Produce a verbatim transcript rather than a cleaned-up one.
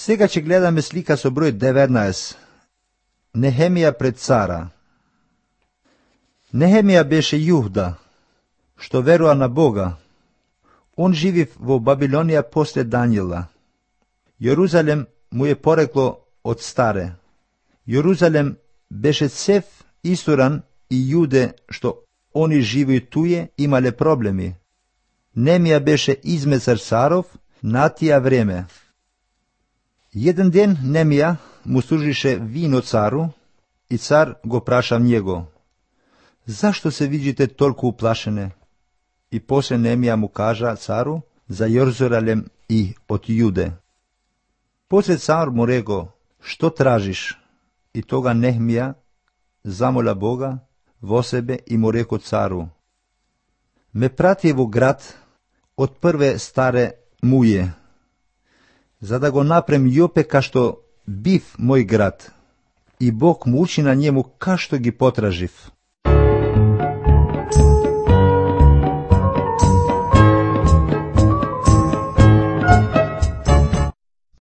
Сега ќе гледаме слика со број деветнаесет. Нехемија пред цара. Нехемија беше Јуда, што верува на Бога. Он живив во Бабилонија после Даниела. Јерузалем му е порекло од старе. Јерузалем беше цев истуран и јуде што они живеју туе имале проблеми. Немија беше измесар царов на тија време. Еден ден Немија му служише вино цару и цар го праша него: зашто се видите толку уплашене? И после Немија му кажа цару за Јерузалем и од Јуде. После цар му рекол: што тражиш? И тога Нехемија замола Бога во себе и му рекол цару: ме прати во град од прве старе мује, за да го напрем Јопе кашто бив мој град, и Бог му учи на njemu кашто ги потражив.